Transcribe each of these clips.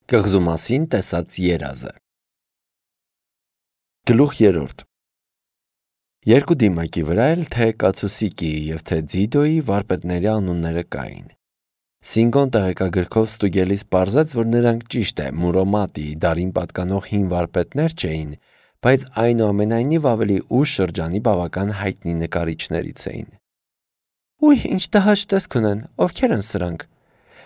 Կղզու մասին տեսած երազը։ Գլուխ 3 Երկու դիմակի վրա էլ թե Կացուսիկի և թե Ձիդոյի վարպետների անունները կային։ Սինգոն տեղեկագրքով ստուգելիս պարզեց, որ նրանք ճիշտ է Մուրոմատիի դարին պատկանող հին վարպետներ չէին, բայց այնուամենայնիվ ավելի ուշ շրջանի բավական հայտնի նկարիչներից էին։ Ուй, ինչ տհաճ տեսք ունեն, ովքեր են սրանք։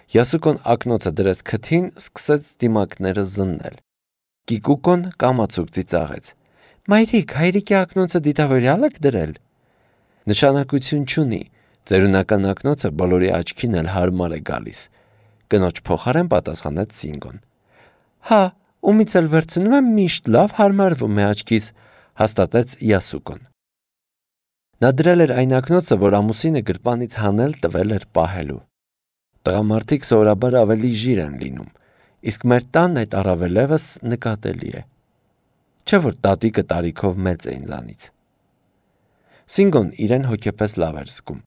Յասուկոն ակնոցը դրեց քթին, սկսեց դիմակները զննել։ Կիկուկոն կամացուկ ծիծաղեց. Մայրիկ, հայրիկի ակնոցը դիտավորյալ եք դրել։ Նշանակություն չունի, ծերունական ակնոցը բոլորի աչքին էլ հարմար է գալիս։ Կնոջ փոխարեն պատասխանեց Սինգոն։ Հա, ումից էլ վերցնում եմ միշտ լավ հարմարվում է աչքիս, հաստատեց Յասուկոն։ Նա դրել էր այն ակնոցը, որ ամուսինը գրպանից հանել տվել էր պահելու։ Տղամարդիկ սովորաբար ավելի ժիր են լինում, իսկ մեր տանն այդ առավելևս նկատելի է։ Չէ՞ որ տատիկը տարիքով մեծ է ինձանից։ Սինգոն իրեն հոգեպես լավ էր զգում։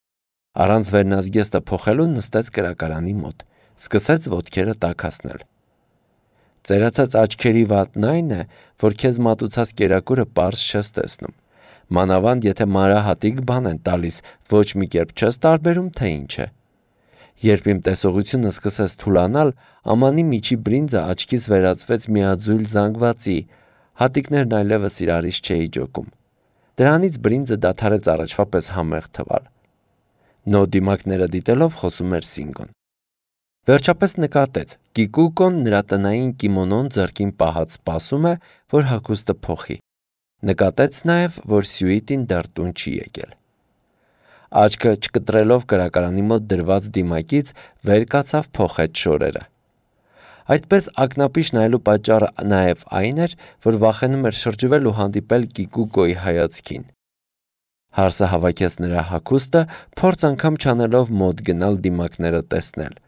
Առանց վերնազգեստը փոխելու նստեց կրակարանի մոտ, սկսեց ոտքերը տաքացնել։ Ծերացած աչքերի վատն այն է, որ քեզ մատուցած կերակուրը պարզ չես տեսնում։ Մանավանդ եթե մանրահատիկ բան են տալիս, ոչ մի կերպ չես տարբերում, թե ինչ է։ Երբ իմ տեսողությունը սկսեց թուլանալ, ամանի միջի բրինձը աչքից վերածվեց միաձույլ զանգվածի, հատիկներն այլևս իրարից չէի ջոկում։ Դրանից բրինձը դադարեց առաջվա պես համեղ թվալ։ Նո դիմակները դիտելով խոսում էր Սինգոն։ Վերջապես նկատեց, Կիկուկոն նրա տնային կիմոնոն ձեռքին պահած սպասում է, որ հագուստը փոխի։ Նկատեց նաև, որ Սյուիտին դեռ տուն չի եկել։ Աչքը չկտրելով կրակարանի մոտ դրված դիմակից վեր կացավ փոխեց շորերը։ Այդպես ակնապիշ նայելու պատճառը նաև այն էր, որ վախենում էր շրջվել ու հանդիպել Կիկուկոյի հայացքին։ Հարսը հավաքեց նրա հագուստը, փորձ անգամ չանելով մոտ գնալ դիմակները տեսնել։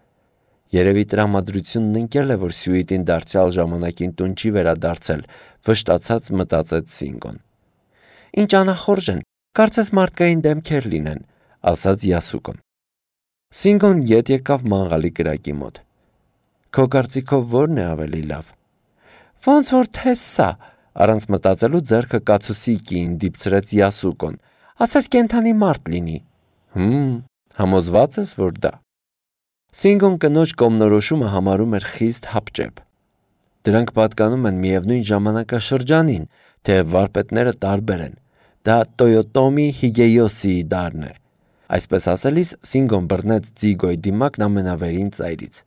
Երևի տրամադրությունն ընկել է, որ Սյուիտին դարձյալ ժամանակին տուն չի վերադարձել, վշտացած մտածեց Սինգոն։ Ինչ անախորժ են, կարծես մարդկային դեմքեր լինեն, ասաց Յասուկոն։ Սինգոն ետ եկավ մանգալի կրակի մոտ։ Քո կարծիքով ո՞րն է ավելի լավ։ Ոնց որ թե սա, առանց մտածելու ձեռքը Կացուսիկիին դիպցրեց Յասուկոն։ Ասես կենդանի մարդ լինի։ Համոզված ես, որ դա։ Սինգոն կնոջ կողմնորոշումը համարում էր խիստ հապճեպ։ Դրանք պատկանում են միևնույն ժամանակաշրջանին, թեև վարպետները տարբեր են։ Դա Տոյոտոմի Հիգեյոսիի դարն է։ Այսպես ասելիս Սինգոն բռնեց Ձիգոյի դիմակն ամենավերին ծայրից։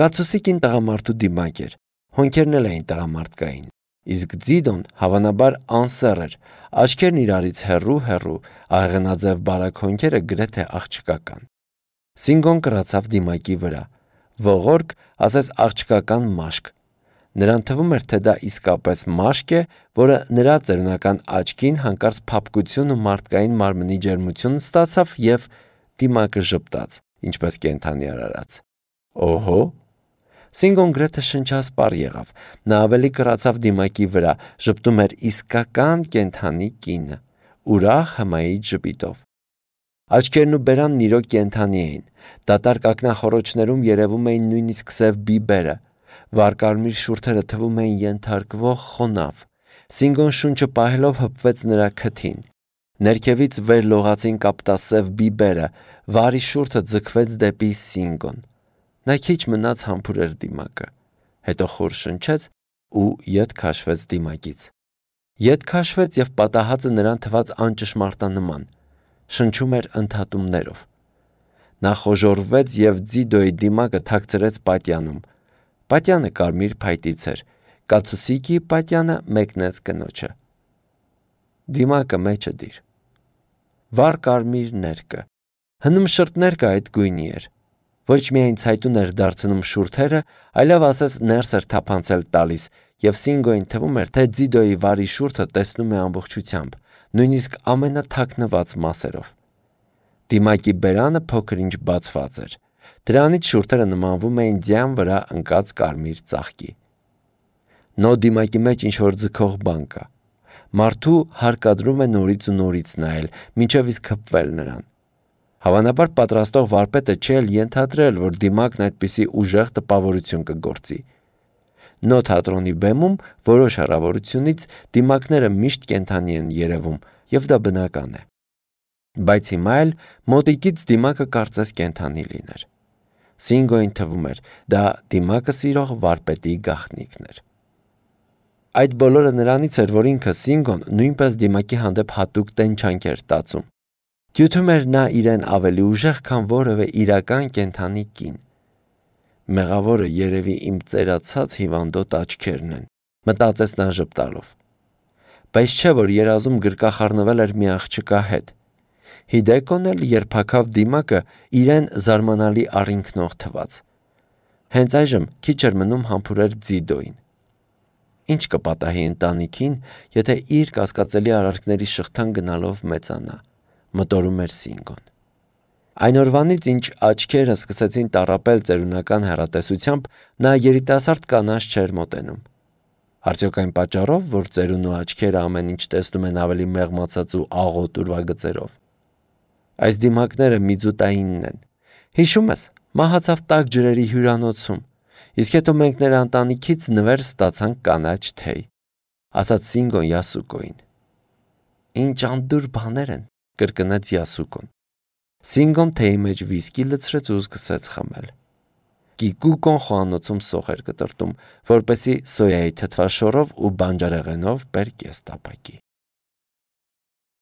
Կացուսիկին տղամարդու դիմակ էր, հոնքերն էլ էին տղամարդկային, իսկ Ձիդոն հավանաբար անսեռ էր, աչքերն իրարից հեռու, աղեղնաձև բարակ հոնքերը գրեթե աղջկական։ Սինգոն կռացավ դիմակի վրա, ողորկ, ասես աղջկական մաշկ։ Նրան թվում էր, թե դա իսկապես մաշկ է, որը նրա ծերունական աչքին հանկարծ փափկություն ու մարդկային մարմնի ջերմություն ստացավ և դիմակը ժպտաց, ինչպես կենդանի արարած։ Օհո։ Սինգոն գրեթե շնչասպառ եղավ, նա ավելի կռացավ դիմակի վրա, ժպտում էր իսկական կենդանի կինը, ուրախ հմայիչ ժպիտով։ Աչքերն ու բերանն իրոք կենդանի էին, դատարկ ակնախոռոչներում երևում էին նույնիսկ սև բիբերը, վարկարմիր շուրթերը թվում էին ենթարկվող խոնավ։ Սինգոն շունչը պահելով հպվեց նրա քթին։ Ներքևից վեր լողացին կապտասև բիբերը, վարի շուրթը ձգվեց դեպի Սինգոն։ Նա քիչ մնաց համբուրեր դիմակը, հետո խոր շնչեց ու ետ քաշվեց դիմակից։ Ետ քաշվեց և պատահածը նրան թվաց անճշմարտանման, շնչում էր ընդհատումներով։ Նա խոժոռվեց և Ձիդոյի դիմակը թաքցրեց պատյանում։ Պատյանը կարմիր փայտից էր, Կացուսիկիի պատյանը մեկնեց կնոջը։ Դիմակը մեջը դիր։ Վառ կարմիր ներկը, հնում շրթ ներկը այդ գույնի էր։ Ոչ միայն ցայտուն էր դարձնում շուրթերը, այլև ասես ներս էր թափանցել տալիս, և Սինգոյին թվում էր, թե Ձիդոյի վարի շուրթը տեսնում է ամբողջությամբ, նույնիսկ ամենաթաքնված մասերով։ Դիմակի բերանը փոքր-ինչ բացված էր։ Դրանից շուրթերը նմանվում էին ձյան վրա ընկած կարմիր ծաղկի։ Նո դիմակի մեջ ինչ-որ ձգող բան կա։ Մարդու հարկադրում է նորից ու նորից նայել, մինչև իսկ հպվել նրան։ Հավանաբար պատրաստող վարպետը չէ էլ ենթադրել, որ դիմակն այդպիսի ուժեղ տպավորություն կգործի։ Նո թատրոնի բեմում որոշ հեռավորությունից դիմակները միշտ կենդանի են երևում, եւ դա բնական է։ Բայց հիմա էլ մոտիկից դիմակը կարծես կենդանի լիներ։ Սինգոյին թվում էր, դա դիմակը սիրող վարպետի գաղտնիքն էր։ Այդ բոլորը նրանից էր, որ ինքը Սինգոն նույնպես դիմակի հանդեպ հատուկ տենչանք էր տածում։ Դյութում էր նա իրեն ավելի ուժեղ, քան որևէ իրական կենդանի կին։ Մեղավորը երևի իմ ծերացած հիվանդոտ աչքերն են, մտածեց նա ժպտալով։ Բայց չէ, որ երազում գրկախառնվել էր մի աղջկա հետ։ Հիդեկոն էլ երբ հագավ դիմակը, իրեն զարմանալի առինքնող թվաց։ Հենց այժմ քիչ էր մնում համբուրեր Ձիդոին։ Ինչ կպատահի ընտանիքին, եթե իր կասկածելի արարքների շղթան գնալով մեծանա, մտորում էր Սինգոն։ Այն օրվանից, ինչ աչքերը սկսեցին տառապել ծերունական հեռատեսությամբ, նա երիտասարդ կանանց չէր մոտենում։ Արդյոք այն պատճառով, որ ծերունու աչքերը ամեն ինչ տեսնում են ավելի մեղմացած ու աղոտ ուրվագծերով։ Այս դիմակները միձուտայինն են։ Հիշում ես, մահացավ տաք ջրերի հյուրանոցում, իսկ հետո մենք նրա ընտանիքից նվեր ստացանք կանաչ թեյ, ասաց Սինգոն Յասուկոին։ Ինչ անդուր բաներ են, կրկնեց Յասուկոն։ Սինգոն թեյի մեջ վիսկի լցրեց ու սկսեց խմել։ Կիկուկոն խոհանոցում սոխ էր կտրտում, որպեսի սոյայի թթվաշորով ու բանջարեղենով բեր կես տապակի։